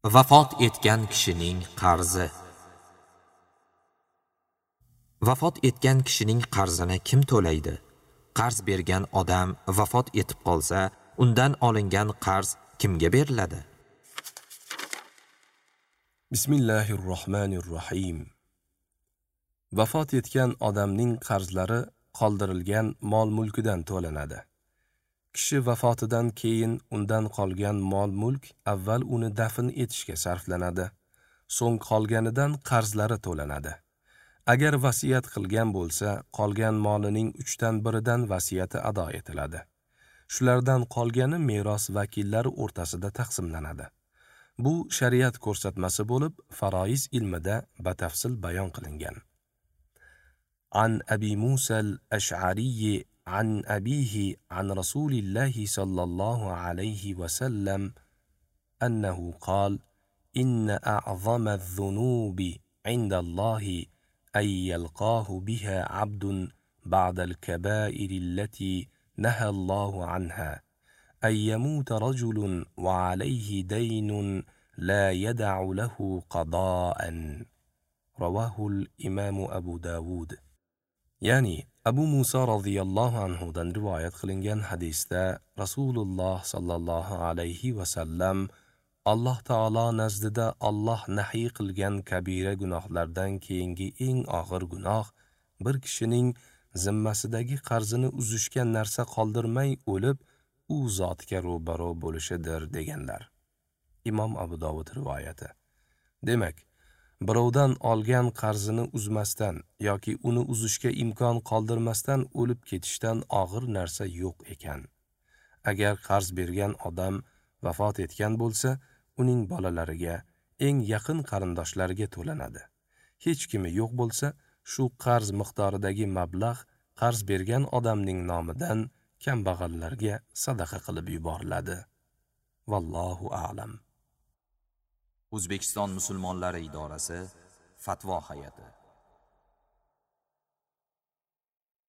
Vafot etgan kishining qarzi. Vafot etgan kishining qarzini kim to'laydi? Qarz bergan odam vafot etib qolsa, undan olingan qarz kimga beriladi? Bismillahirrohmanirrohim. Vafot etgan odamning qarzlari qoldirilgan mol-mulkidan to'lanadi. Kishi vafotidan keyin undan qolgan mol-mulk avval uni dafn etishga sarflanadi, so'ng qolganidan qarzlari to'lanadi. Agar vasiyat qilgan bo'lsa, qolgan molining 1/3 vasiyati ado etiladi. Shulardan qolgani meros vakillari o'rtasida taqsimlanadi. Bu shariat ko'rsatmasi bo'lib, faroiz ilmida batafsil bayon qilingan. An Abi Musa al-Ash'ari عن أبيه عن رسول الله صلى الله عليه وسلم أنه قال: إن أعظم الذنوب عند الله أن يلقاه بها عبد بعد الكبائر التي نهى الله عنها، أن يموت رجل وعليه دين لا يدع له قضاء. رواه الإمام أبو داود. Ya'ni Abu Musa radhiyallohu anhu dan rivoyat qilingan hadisda Rasululloh sallallohu alayhi va sallam Alloh taolo nazdida Alloh nahiy qilgan kabira gunohlardan keyingi eng og'ir gunoh bir kishining zimmasidagi qarzini uzishga narsa qoldirmay o'lib, u zotga ro'baro bo'lishidir deganlar. Imom Abu Dovud rivoyati. Demak, birovdan olgan qarzini uzmasdan yoki uni uzishga imkon qoldirmasdan o'lib ketishdan og'ir narsa yo'q ekan. Agar qarz bergan odam vafot etgan bo'lsa, uning bolalariga, eng yaqin qarindoshlariga to'lanadi. Hech kimi yo'q bo'lsa, shu qarz miqdoridagi mablag' qarz bergan odamning nomidan kambag'allarga sadaqa qilib yuboriladi. Vallohu a'lam. O'zbekiston musulmonlari idorasi Fatvo hay'ati.